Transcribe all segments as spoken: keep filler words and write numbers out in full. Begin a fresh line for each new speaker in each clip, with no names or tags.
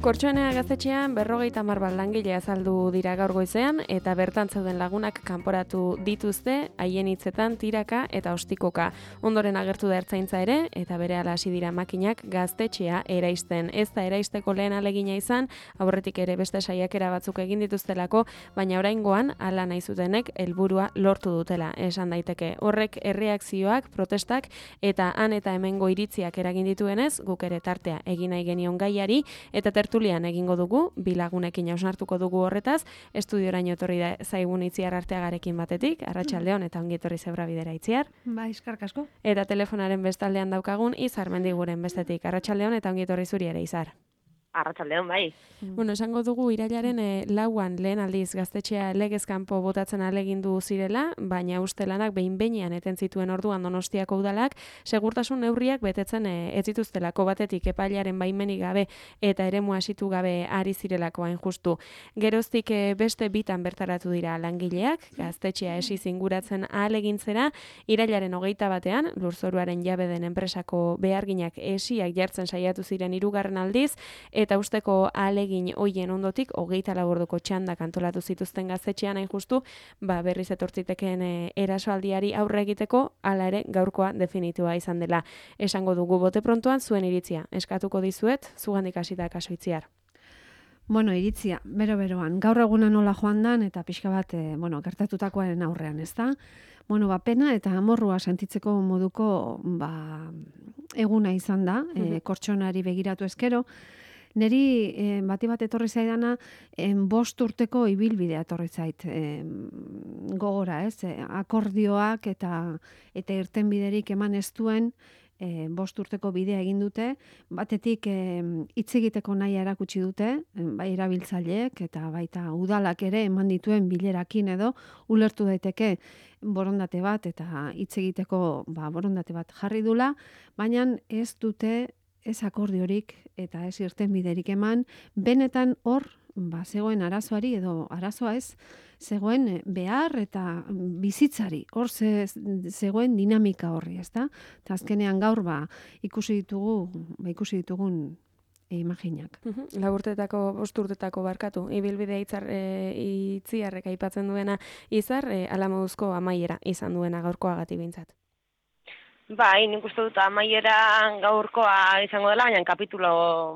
Kortxoenea gaztetxean berrogeita hamar bat langile azaldu dira gaur goizean eta bertan zeuden lagunak kanporatu dituzte haien hitzetan tiraka eta ostikoka. Ondoren agertu da ertzaintza ere eta berehala hasi dira makinak gaztetxea eraisten. Ez da eraisteko lehen ahalegina izan, aurretik ere beste saiakera batzuk egin dituztelako, baina oraingoan hala nahi zutenek helburua lortu dutela. Esan daiteke horrek erreakzioak, protestak eta han eta hemengo iritziak eragin dituenez, guk ere tartea egin nahi genion gaiari eta tertulian egingo dugu, bilagunekin hausnartuko dugu horretaz, estudioraino etorri da zaigun Itziar Arteagarekin batetik, arratsaldeon eta ongi etorri Zebra Bidera Itziar.
Ba, eskerrik asko.
Eta telefonaren bestaldean daukagun Izar Mendiguren bestetik, arratsaldeon eta ongi etorri zuri ere Izar.
Arratsaldeon bai.
Bueno, esango dugu irailaren e, lauan lehen aldiz gaztetxea legez kanpo botatzen alegindu zirela, baina uste lanak behin-behinean eten zituen orduan Donostiako udalak, segurtasun neurriak betetzen e, ez dituztelako batetik epailearen baimenik gabe eta eremu hasitu gabe ari zirelako hain justu. Geroztik e, beste bitan bertaratu dira langileak, gaztetxea esi zinguratzen ahalegintzera, irailaren hogeita batean, lurzoruaren jabe den enpresako beharginak esiak jartzen saiatu ziren hirugarren aldiz, eta usteko ahalegin hoien ondotik hogeita lau orduko txandak antolatu zituzten gaztetxean hain justu, ba berriz etortziteken e, erasoaldiari aurre egiteko, hala ere gaurkoa definitua izan dela. Esango dugu bote prontoan zuen iritzia. Eskatuko dizuet, zugandik hasita kaso Itziar.
Bueno, iritzia, bero-beroan. Gaur eguna nola joan dan eta pixka bat, e, bueno, gertatutakoaren aurrean, ez da? Bueno, ba, pena eta amorrua sentitzeko moduko ba, eguna izan da, e, kortxonari begiratu eskero. Neri eh, bati bat etorri zaidana en bost urteko ibilbidea etorri zait eh, gogora, ez? Eh, akordioak eta eta irtenbiderik eman ez duen eh, bost urteko bidea egin dute, batetik eh, hitz egiteko nahi erakutsi dute, eh, bai erabiltzaileek eta baita udalak ere eman dituen bilerakin edo ulertu daiteke borondate bat eta hitz egiteko ba, borondate bat jarri dula, baina ez dute ez akordiorik eta ez irtenbiderik eman, benetan hor ba, zegoen arazoari edo arazoa ez, zegoen behar eta bizitzari, hor ze, zegoen dinamika horri, ezta? Eta azkenean gaur ba, ikusi ditugu, ba, ikusi ditugun e, imaginak.
Uh-huh. Lau urtetako, bost urtetako barkatu, ibilbidea itzar, e, Itziarrek aipatzen duena Izar, e, alamoduzko amaiera izan duena gaurkoagatik behintzat.
Bai, nik uste dut amaieran gaurkoa izango dela, baina kapitulo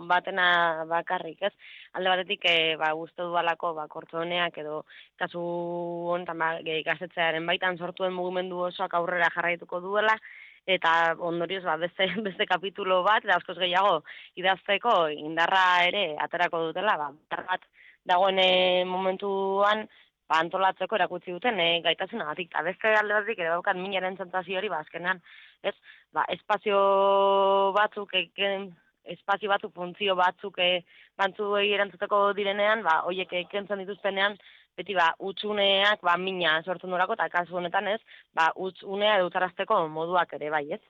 batena bakarrik, ez? Alde batetik, e, ba, uste dualako, ba, kortxoneak edo kasu honetan, ba, gaztetxearen baitan sortuen mugimendu osoak aurrera jarraituko duela, eta ondorioz, ba, beste, beste kapitulo bat, eta askoz gehiago idazteko indarra ere aterako dutela, ba, bat dagoen momentuan, ba, antolatzeko erakutsi duten e, gaitasunagatik. Eta beste alde batetik ere daukat minaren sentsazio hori, ba, azkenean, ez, ba, espazio batzuk, eken, espazio batzuk, funtzio batzuk e, bantzuei erantzuteko direnean, ba, hoiek ekentzen dituztenean, beti ba, utxuneak ba, mina sortzen durako, eta kasu honetan ez, ba, utxunea edutarazteko moduak ere bai, ez?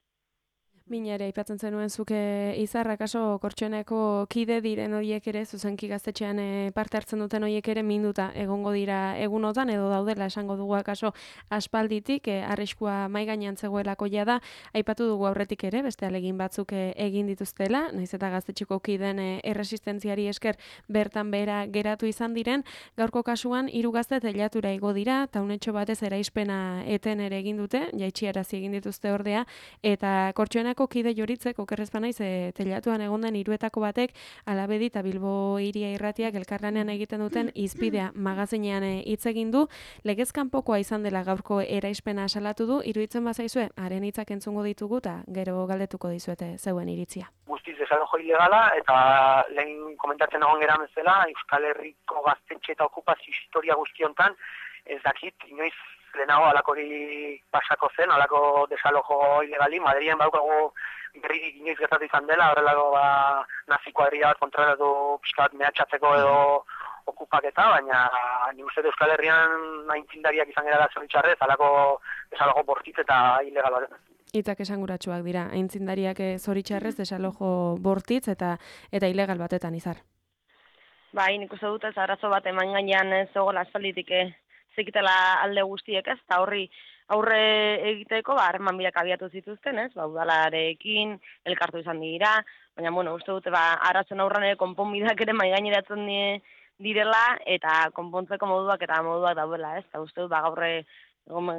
Mina ere aipatzen zenuen zuke Izar, akaso Kortxoeneko kide diren horiek ere, zuzenki gaztetxean e, parte hartzen duten horiek ere minduta egongo dira egunotan, edo daudela esango dugu akaso aspalditik, e, arriskua mai gainean zegoelako jada, aipatu dugu aurretik ere, beste alegin batzuk e, egin dituztela, naiz eta gaztetxeko kiden e, erresistentziari esker bertan behera geratu izan diren, gaurko kasuan hiru gazte teilatura igo dira, taunetxo batez eraizpena eten ere egin dute, jaitxiarazi egin dituzte ordea, eta Kortxoenak kide joritzek, okerrezpa naiz, e, telatuan egon den hiruetako batek Alabedi eta Bilbo Hiria Irratiak elkarlanean egiten duten Izpidea magazinean hitz egin du, legez kanpokoa izan dela gaurko eraispena salatu du, iruditzen bazaizue, haren hitzak entzungo ditugu eta gero galdetuko dizuete zeuen iritzia.
Guztiz desalojo ilegala eta lehen komentatzen egon gera bezala, Euskal Herriko gaztetxe eta okupazio historia guztiontan, ez dakit, inoiz lehenago alakori pasako zen, alako desalojo ilegali, Madrien baukagu berririk inoiz gertatu izan dela, horrelako ba, nazi kuadrilla bat kontraratu pixka bat mehatxatzeko edo okupaketa, baina ni uste Euskal Herrian aintzindariak izan gara zoritxarrez, alako desalojo bortitz eta ilegal bat.
Hitzak esanguratsuak dira, aintzindariak zoritxarrez desalojo bortitz eta eta ilegal batetan Izar.
Bai, nik uste dut ez arazo bat eman gainean ez zegoela aspalditik zekitela alde guztiek ez, eta horri aurre egiteko, ba, harreman biak abiatu zituzten, ez? Ba, udalarekin, elkartu izan dira, baina, bueno, uste dute, ba, arazen aurran ere konponbideak ere maigaineratzen die, direla, eta konpontzeko moduak eta moduak daudela, ez? Eta uste dut, ba, gaurre,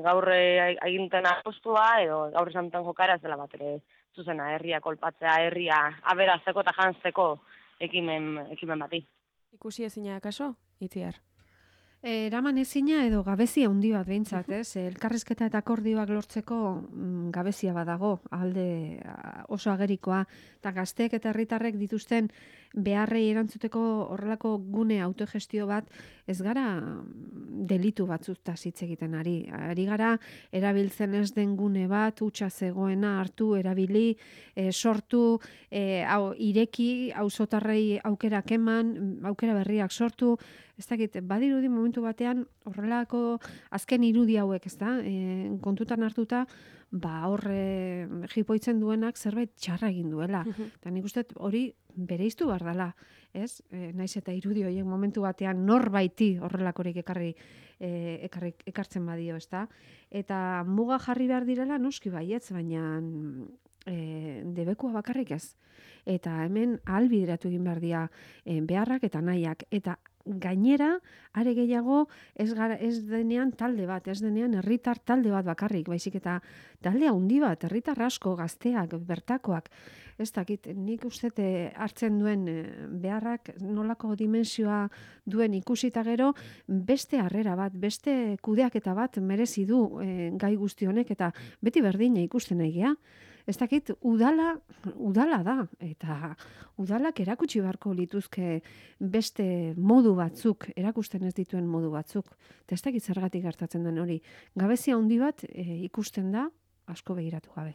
gaurre aginten apostua, edo gaurre zanten jokara ez dela bat ere zuzena, herria kolpatzea, herria aberazteko eta jantzeko ekimen, ekimen bati.
Ikusi ezina kaso, Itziar?
Eraman ezina edo gabezia handi bat behintzat, ez? Elkarrizketa eta akordioak lortzeko mm, gabezia badago, alde oso agerikoa, eta gazteek eta herritarrek dituzten beharrei erantzuteko horrelako gune autogestio bat, ez gara delitu batzutaz hitz egiten ari. Ari gara, erabiltzen ez den gune bat, hutsa zegoena hartu, erabili, e, sortu, e, hau, ireki, auzotarrei aukerak eman, aukera berriak sortu, ez dakit, badirudi momentu batean horrelako azken irudi hauek, ez da, e, kontutan hartuta, ba horre jipoitzen duenak zerbait txarra egin duela. Eta nik uste hori bereiztu behar dela, ez? E, naiz eta irudi horiek momentu batean norbaiti horrelakorik ekarri, e, ekarri ekartzen badio, ez da? Eta muga jarri behar direla noski baietz, baina e, debekua bakarrik ez. Eta hemen ahalbideratu egin behar dira e, beharrak eta nahiak. Eta gainera, are gehiago, ez, gara, ez denean talde bat, ez denean herritar talde bat bakarrik, baizik eta talde handi bat, herritar asko, gazteak, bertakoak, ez dakit, nik uste hartzen duen beharrak nolako dimensioa duen ikusita gero, beste harrera bat, beste kudeaketa bat merezi du e, gai guzti honek, eta beti berdina ikusten nahi gea. Ez dakit, udala, udala da, eta udalak erakutsi beharko lituzke beste modu batzuk, erakusten ez dituen modu batzuk. Eta ez dakit zergatik gertatzen den hori. Gabezia handi bat e, ikusten da, asko begiratu gabe.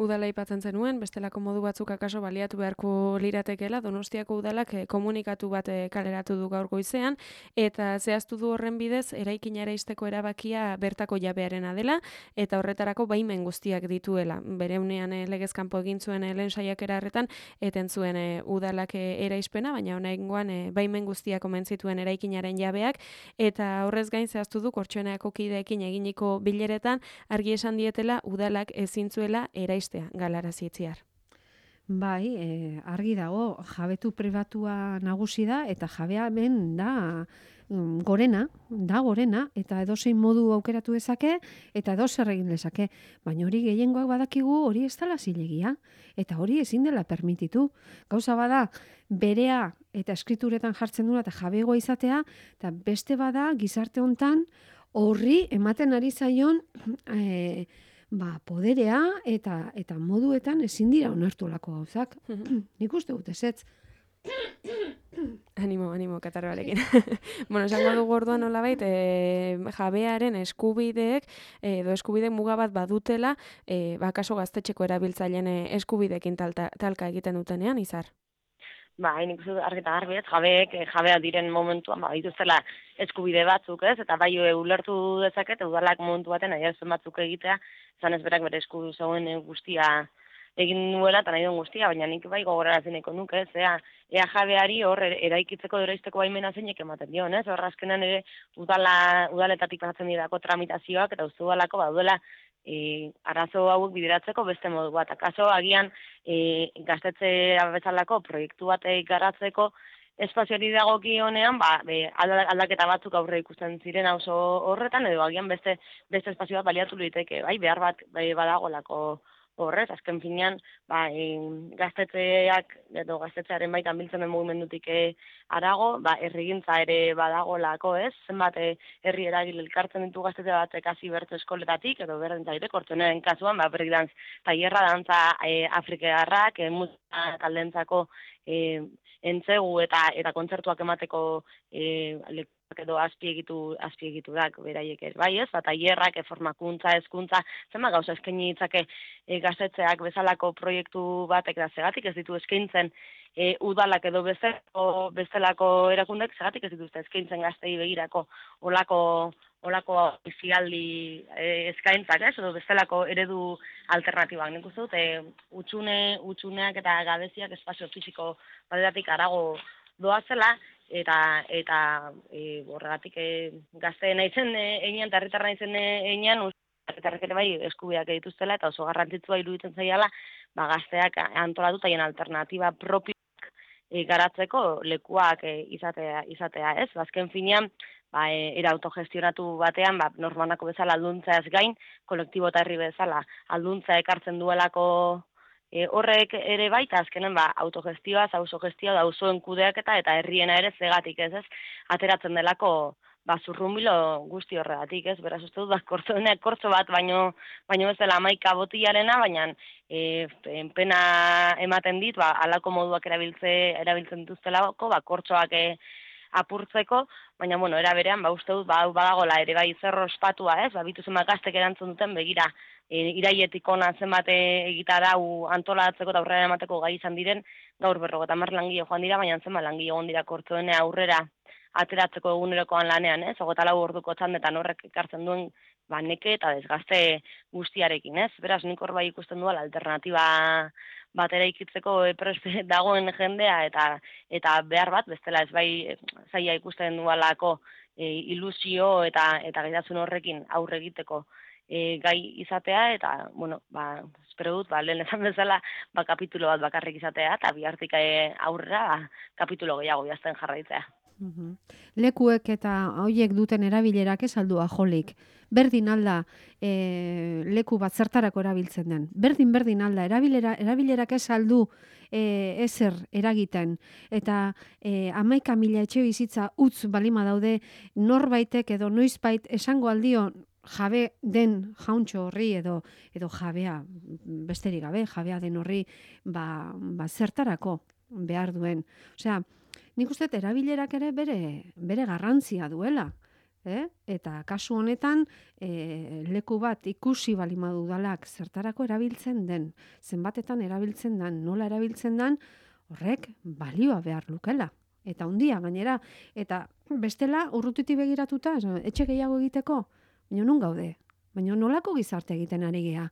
Udala aipatzen zenuen, bestelako modu batzuk akaso baliatu beharko liratekeela, Donostiako udalak eh, komunikatu bat eh, kaleratu du gaur goizean, eta zehaztu du horren bidez, eraikinara izteko erabakia bertako jabearena dela, eta horretarako baimen guztiak dituela. Bere unean eh, legezkanpo egin zuen eh, lehen saiakera harretan, eten zuen eh, udalak eh, eraispena, baina honegoan eh, baimen guztiak omen zituen eraikinaren jabeak, eta horrez gain zehaztu du Kortxoeneko kideekin eginiko bileretan, argi esan dietela udalak ezin zuela eraistea, galarazi Itziar.
Bai, e, argi dago, jabetu pribatua nagusi da, eta jabea hemen da mm, gorena, da gorena, eta edozein modu aukeratu dezake, eta edozer egin dezake. Baina hori gehiengoak badakigu hori ez dela zilegia, eta hori ezin dela permititu. Gauza bada, berea eta eskrituretan jartzen duna eta jabegoa izatea, eta beste bada gizarte hontan horri ematen ari zaion e, ba, poderea eta eta moduetan ezin dira onartu lako gauzak. Nik uste dut ezetz.
Animo, animo, katarroarekin. Bueno, esango dugu orduan nolabait, e, jabearen eskubideek, edo eskubide muga bat badutela, e, bakaso gaztetxeko erabiltzaileen eskubideekin talta, talka egiten dutenean, Izar?
Ba, hain ikusi argita garbi ez, jabeek, jabea diren momentuan, ba, dituztela eskubide batzuk ez, eta bai ulertu dezaket, udalak momentu baten adierazpen batzuk egitea, zan ez berak bere esku zegoen guztia egin nuela, eta nahi duen guztia, baina nik bai gogorarazin eko nuke, ez, ea, ea jabeari hor eraikitzeko eraisteko baimena zeinek ematen dion, ez, hor azkenan ere udala, udaletatik pasatzen dirako tramitazioak, eta uste udalako baduela, E, arazo hauek bideratzeko beste modu bat. Akaso agian e, gaztetxe bezalako proiektu bat garatzeko espazioari dagokionean, ba, be, aldaketa batzuk aurre ikusten ziren auzo horretan, edo agian beste beste espazio bat baliatu liteke, bai, behar bat bai, badagolako horrez, azken finean, ba, e, gaztetxeak, edo gaztetxearen baitan biltzen den mugimendutik arago, ba, herrigintza ere badagolako, ez? Zenbat e, herri eragile elkartzen ditu gaztetxe batek hasi bertso eskoletatik, edo berdin zaire, Kortxoenaren kasuan, ba, breakdance tailerra, dantza e, afrikarrak, e, musika taldentzako e, entzegu eta eta kontzertuak emateko e, edo azpiegitu azpiegiturak beraiek ez bai ez, bat tailerrak, formakuntza, hezkuntza, zenbat gauza eskaini ditzake e, gaztetxeak bezalako proiektu batek da segatik ez ditu eskaintzen e, udalak edo bezalako, bezalako erakundek segatik ez dituzte eskaintzen gaztei begirako olako olako bizialdi e, eskaintzak, ez, edo bestelako eredu alternatibak. Nik uste dut, e, utxune, utxuneak eta gabeziak espazio fisiko batetatik arago doazela, eta eta e, horregatik e, gazte naizen e, einean, eta herritar naizen einean, herritarrek ere bai eskubideak dituztela eta oso garrantzitsua iruditzen zaiala ba gazteak antolatuta haien alternatiba propioak e, garatzeko lekuak e, izatea izatea, ez? Azken finean ba e, era autogestionatu batean ba normanako bezala alduntzeaz gain kolektibo eta herri bezala alduntza ekartzen duelako E, horrek ere baita azkenen ba, autogestioa, autogestioa, auzoen kudeaketa eta herriena ere zegatik ez, ez, ateratzen delako ba, zurrunbilo guzti horregatik, ez, beraz uste dut, ba, kortzoenak kortzo bat, baino, baino ez dela hamaika botilarena, baina e, pena ematen dit, ba, alako moduak erabiltze, erabiltzen dituztelako, ba, kortzoak e, apurtzeko, baina, bueno, era berean, ba, uste dut, ba, badagola ere bai zerro ospatua, ez, ba, bitu zenbat gaztek erantzun duten, begira, e, iraietik ona zenbat egita dau antolatzeko eta aurrera emateko gai izan diren, gaur berrogeita hamar langile joan dira, baina zenbat langile egon dira kortzoene aurrera ateratzeko egunerokoan lanean, ez, hogeita lau orduko txandetan horrek ekartzen duen, ba, neke eta desgazte guztiarekin, ez, beraz, nik hor bai ikusten duela alternatiba batera ikitzeko preste dagoen jendea eta eta behar bat bestela ez bai zaila ikusten dualako e, ilusio eta eta gaitasun horrekin aurre egiteko e, gai izatea eta bueno ba espero dut ba lehen esan bezala ba kapitulo bat bakarrik izatea eta bihartik aurrera ba, kapitulo gehiago idazten jarraitzea.
Uhum. Lekuek eta hoiek duten erabilerak ez aldu ajolik. Berdin alda e, leku bat zertarako erabiltzen den. Berdin berdin alda erabilera, erabilerak ez aldu e, ezer eragiten. Eta e, hamaika mila etxe bizitza utz balima daude norbaitek edo noizbait esango aldio jabe den jauntxo horri edo edo jabea besterik gabe, jabea den horri ba, ba zertarako behar duen. Osea, nik uste erabilerak ere bere, bere garrantzia duela. Eh? Eta kasu honetan e, leku bat ikusi balima dudalak zertarako erabiltzen den, zenbatetan erabiltzen den, nola erabiltzen den, horrek balioa behar lukela. Eta hundia gainera, eta bestela urrutiti begiratuta, etxe gehiago egiteko, baina nun gaude, baina nolako gizarte egiten ari gea.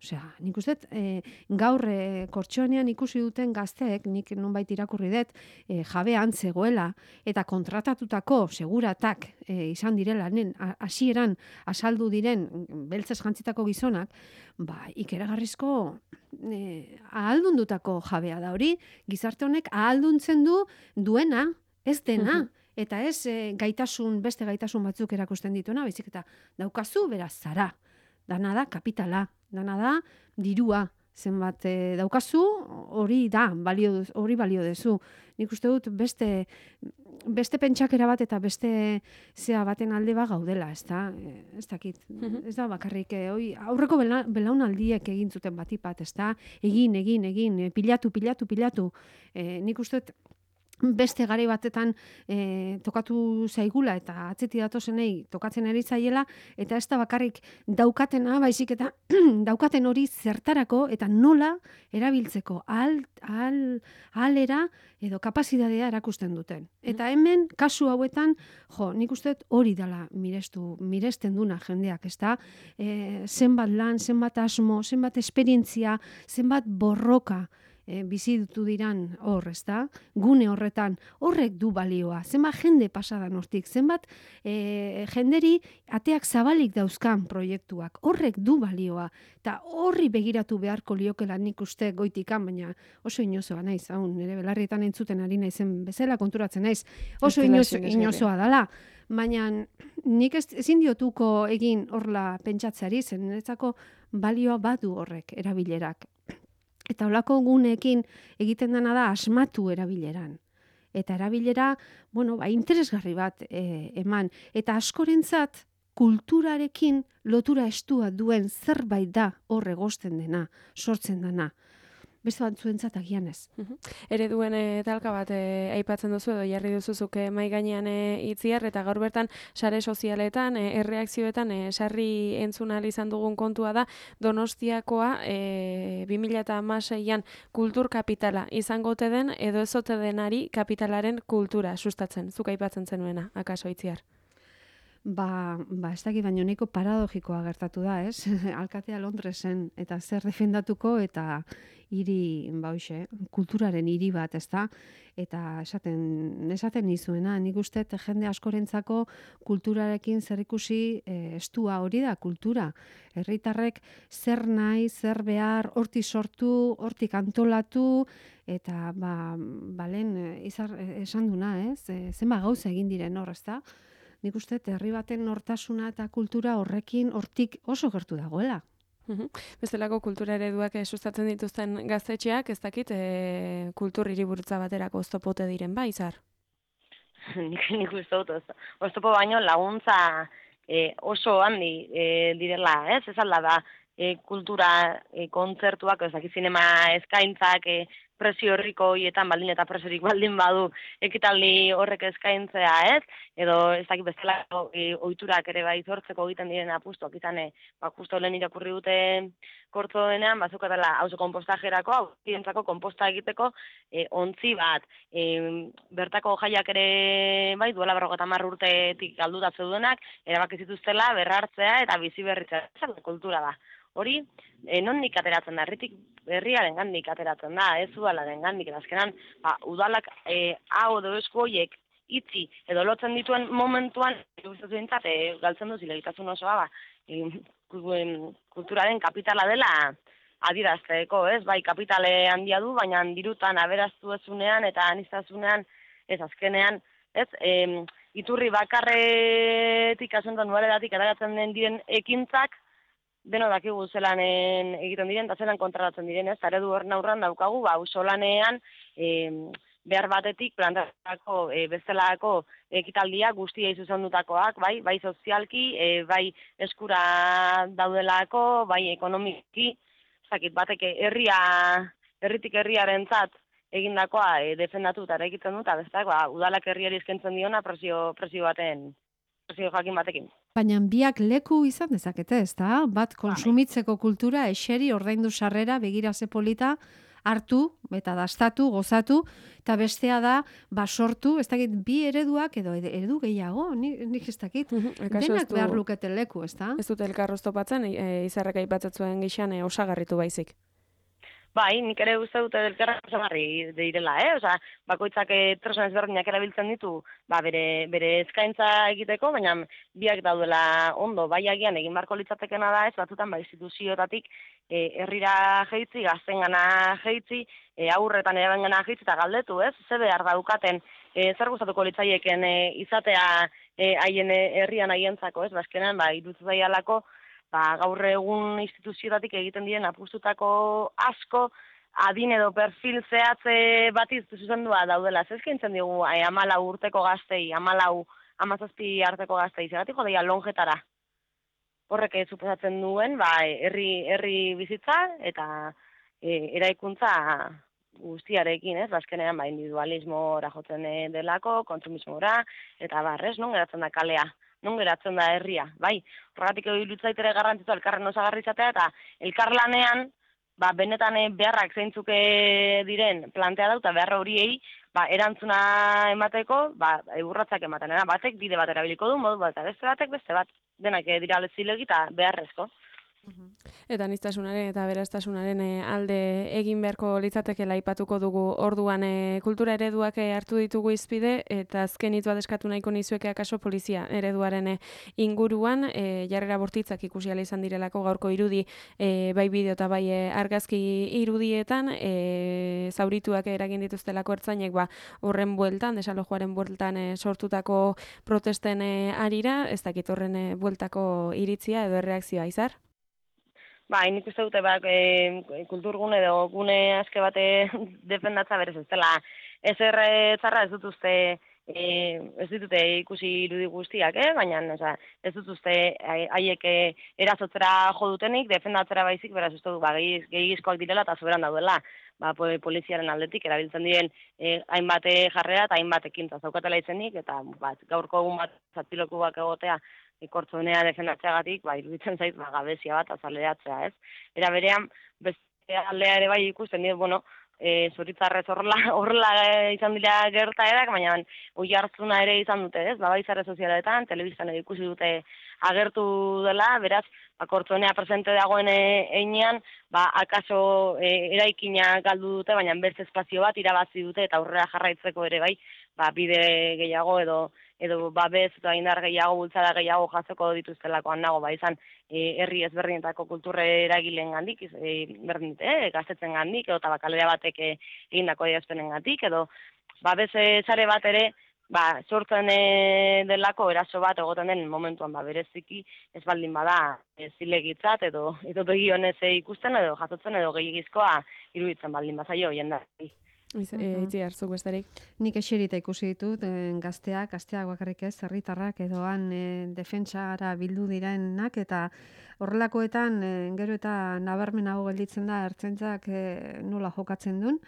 Osea, nik uste, e, gaur e, kortxoanean ikusi duten gazteek, nik nonbait irakurri dut, e, jabean zegoela, eta kontratatutako seguratak e, izan direla, nen, hasieran asaldu diren beltzez jantzitako gizonak, ba, ikeragarrizko e, ahaldundutako jabea da hori, gizarte honek ahalduntzen du duena, ez dena, eta ez e, gaitasun, beste gaitasun batzuk erakusten dituena, baizik eta daukazu beraz zara, dana da kapitala, dana da dirua, zenbat e, daukazu, hori da, balio, hori balio dezu. Nik uste dut beste, beste pentsakera bat eta beste zea baten alde ba gaudela, ez da, ez dakit, ez da bakarrik, e, oi, aurreko bela, belaunaldiek egin zuten batipat, ez da, egin, egin, egin, e, pilatu, pilatu, pilatu, e, nik uste dut, beste garai batetan e, tokatu zaigula eta atzeti datozenei tokatzen ari zaiela eta ez da bakarrik daukatena, baizik eta daukaten hori zertarako eta nola erabiltzeko ahal, ahal, ahalera edo kapazitatea erakusten duten. Eta hemen, kasu hauetan, jo, nik uste hori dela mirestu, miresten duna jendeak, ez da? E, zenbat lan, zenbat asmo, zenbat esperientzia, zenbat borroka, E, bizi dutu diran hor, ez da? Gune horretan, horrek du balioa. Zenbat jende pasadan hortik, zenbat e, jenderi ateak zabalik dauzkan proiektuak, horrek du balioa. Eta horri begiratu beharko liokela nik uste goitikan, baina oso inozoa naiz, hau, nire belarrietan entzuten ari naizen bezala konturatzen naiz, oso inozo, inozoa dala. Baina nik ez, ezin diotuko egin horla pentsatzeari, zen niretzako balioa badu horrek, erabilerak. Eta holako guneekin egiten dena da asmatu erabileran. Eta erabilera, bueno, ba, interesgarri bat e, eman. Eta askorentzat kulturarekin lotura estua duen zerbait da hor egosten dena, sortzen dena. Beste batzuentzat agian ez.
Ereduen e, talka bat e, aipatzen duzu edo jarri duzuzuk e, mai gainean e, itziar eta gaur bertan sare sozialetan, e, erreakzioetan e, sarri entzun ahal izan dugun kontua da Donostiakoa e, bi mila hamaseian kultur kapitala izango ote den edo ez ote denari kapitalaren kultura sustatzen. Zuk aipatzen zenuena, akaso itziar?
Ba, ba ez dakit baino nahiko paradogikoa gertatu da, ez? Alkatea Londresen eta zer defendatuko eta hiri, ba hoxe, kulturaren hiri bat, ezta? Eta esaten esaten nizuena, nik uste jende askorentzako kulturarekin zerikusi e, estua hori da kultura. Herritarrek zer nahi, zer behar, hortik sortu, hortik antolatu eta ba, balen izar esan duna, ez? E, zenba gauza egin diren hor, ezta? Nik uste, herri baten nortasuna eta kultura horrekin hortik oso gertu dagoela.
Bestelako kultura ereduak sustatzen dituzten gaztetxeak, ez dakit, e, kultur hiriburutza baterako oztopote diren, ba, Izar?
Nik, nik uste dut, oztopo baino laguntza e, oso handi e, direla, ez? Ez alda da, e, kultura e, kontzertuak, ez dakit, zinema eskaintzak, e, presio horriko hietan baldin eta presiorik baldin badu ekitaldi horrek eskaintzea, ez? Edo ez dakit bezalako e, ohiturak ere bai sortzeko egiten diren apustuak izan, e, ba, justo lehen irakurri dute kortzoenean, bazukatela auzo konpostajerako, auzientzako konposta egiteko e, ontzi bat, e, bertako jaiak ere bai duela berrogeita hamar urtetik galduta zeudenak, erabaki zituztela berrartzea eta bizi berritzea, kultura da. Hori, e, nondik ateratzen da, herritik herriaren gandik ateratzen da, ez udalaren gandik, eta azkenan, ba, udalak e, hau edo esku horiek itzi edo lotzen dituen momentuan, guztatu dintzat, e, galtzen duz, ilegitasun osoa, ba, e, kulturaren kapitala dela adirazteko, ez? Bai, kapitale handia du, baina dirutan aberaztu ezunean eta anistasunean, ez azkenean, ez? E, iturri bakarretik, asuntan nuaredatik, eragatzen den diren ekintzak, deno dakigu zelanen egiten diren, eta zelan kontratatzen diren, ez? Eredu hor naurran daukagu, ba, auzolanean e, behar batetik plantatako e, bezalako ekitaldia guztia izuzendutakoak, bai, bai sozialki, e, bai eskura daudelako, bai ekonomiki, zakit bateke herria, herritik herriarentzat egindakoa e, defendatu eta egiten dut, eta bestak, ba, udalak herriari eskaintzen diona presio, presio baten, presio jakin batekin.
Baina biak leku izan dezakete, ez da? Bat konsumitzeko kultura, eseri, ordaindu sarrera, begira ze polita, hartu eta dastatu, gozatu, eta bestea da, basortu, ez dakit, bi ereduak edo eredu gehiago, nik, nik ez dakit, denak behar lukete leku, ez da?
Ez dut elkar oztopatzen, e, Izarrak aipatzen gixan e, osagarritu baizik.
Bai, nik ere uste dute elkarra osagarri direla, eh? Osa, bakoitzak tresna ezberdinak erabiltzen ditu, ba, bere, bere eskaintza egiteko, baina biak daudela ondo, bai agian egin barko litzatekena da, ez batzutan, ba, instituzioetatik e, herrira jeitzi, gaztengana jeitzi, e, aurretan erabengana jeitzi eta galdetu, ez? Ze behar daukaten, e, zer gustatuko litzaieken e, izatea e, haien herrian haientzako, ez? Bazkenan, ba, iruditzen zaialako, ba, gaur egun instituzioetatik egiten diren apustutako asko, adin edo perfil zehatze batiz zuzendua daudela. Zezkintzen digu eh, amalau urteko gaztei, amalau, amazazpi arteko gaztei, zeratik jodeia longetara. Horrek suposatzen duen, ba, herri, herri bizitza eta e, eraikuntza guztiarekin, ez? Azkenean, ba, individualismora jotzen delako, kontsumismora, eta barrez, non geratzen da kalea. Non geratzen da herria, bai. Horregatik iruditzaitere garrantzitsua elkarren osagarri izatea eta elkarlanean, ba, benetan beharrak zeintzuk diren plantea dauta beharra horiei, ba, erantzuna emateko, ba, urratsak ematen. Batek bide bat erabiliko du, modu bat, eta beste batek beste bat. Denak dira zilegi eta beharrezko.
Eta aniztasunaren eta beraztasunaren alde egin beharko litzatekeela aipatuko dugu orduan e, kultura ereduak hartu ditugu izpide eta azken hitzua eskatu nahiko nizueke akaso polizia ereduaren inguruan e, jarrera bortitzak ikusi ala izan direlako gaurko irudi e, bai bideo eta bai argazki irudietan e, zaurituak eragin dituztelako ertzainek ba horren bueltan desalojoaren bueltan e, sortutako protesten e, arira ez dakit horren e, bueltako iritzia edo erreakzioa Izar.
Ba, nik uste dute, ba, e, kulturgune edo gune aske bate defendatza berez ez dela. Ez erretzarra ez dut uste, e, ez ditute ikusi irudi guztiak, eh? Baina oza, ez dut uste haiek erazotzera jo dutenik, defendatzera baizik, beraz uste du, ba, gehigizkoak direla eta soberan daudela. Ba, poliziaren aldetik erabiltzen diren e, hainbat jarrera eta hainbat ekintza zaukatela izenik, eta ba, gaurko egun bat zatilokuak egotea, ikortzunea defendatzeagatik, ba, iruditzen zait, ba, gabezia bat azaleratzea, ez? Era berean, beste aldea ere bai ikusten dira, bueno, e, zuritzarrez horrela, horrela izan dira gertaerak, baina oi hartzuna ere izan dute, ez? Ba, bai sare sozialetan, telebistan ere ikusi dute agertu dela, beraz, ba, Kortzonea presente dagoen einean, ba, akaso e, eraikina galdu dute, baina beste espazio bat irabazi dute, eta aurrera jarraitzeko ere bai, ba, bide gehiago edo edo babez eta indar gehiago, bultzada gehiago jatzeko dituztelakoan nago, ba, izan e, herri ezberdinetako kulturre eragileen gandik, e, berdin dute, e, gaztetzen gandik, edo tabakalera batek e, egindako adierazpenen gandik, edo babez e, sare bat ere, ba, sortzen e, delako eraso bat egoten den momentuan, ba, bereziki ez baldin bada e, zilegitzat edo edo begionez e, ikusten edo jasotzen edo gehiagizkoa iruditzen baldin bazaio jendari.
Itzi hartzuk besterik.
Nik eserita ikusi ditut, eh, gazteak, gazteak bakarrik ez, herritarrak edo han eh, defentsara bildu direnak, eta horrelakoetan eh, gero eta nabarmenago gelditzen da ertzaintzak eh, nola jokatzen duen,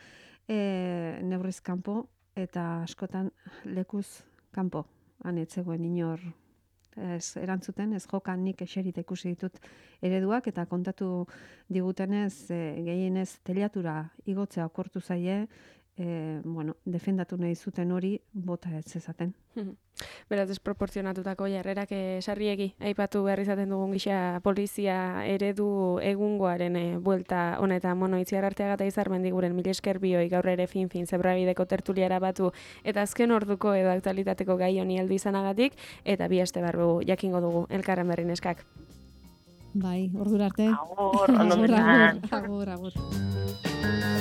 eh, neurriz kanpo eta askotan lekuz kanpo. Han etzegoen inor ez erantzuten, ez jokan nik eserita ikusi ditut ereduak, eta kontatu digutenez e, gehienez teliatura igotzea okortu zaie, e, bueno, defendatu nahi zuten hori bota ez ezaten.
Beraz, desproporzionatutako jarrerak sarriegi, aipatu behar izaten dugun gisa polizia eredu egungoaren e, buelta honetan, mono, Itziar Arteaga eta Izarmendi guren mil esker bioi gaur ere fin-fin zebrabideko tertuliara batu, eta azken orduko edo aktualitateko gai honi heldu izanagatik, eta bi aste barru jakingo dugu elkarren berri neskak.
Bai, ordura arte.
Agur, ondo
agur, agur, agur.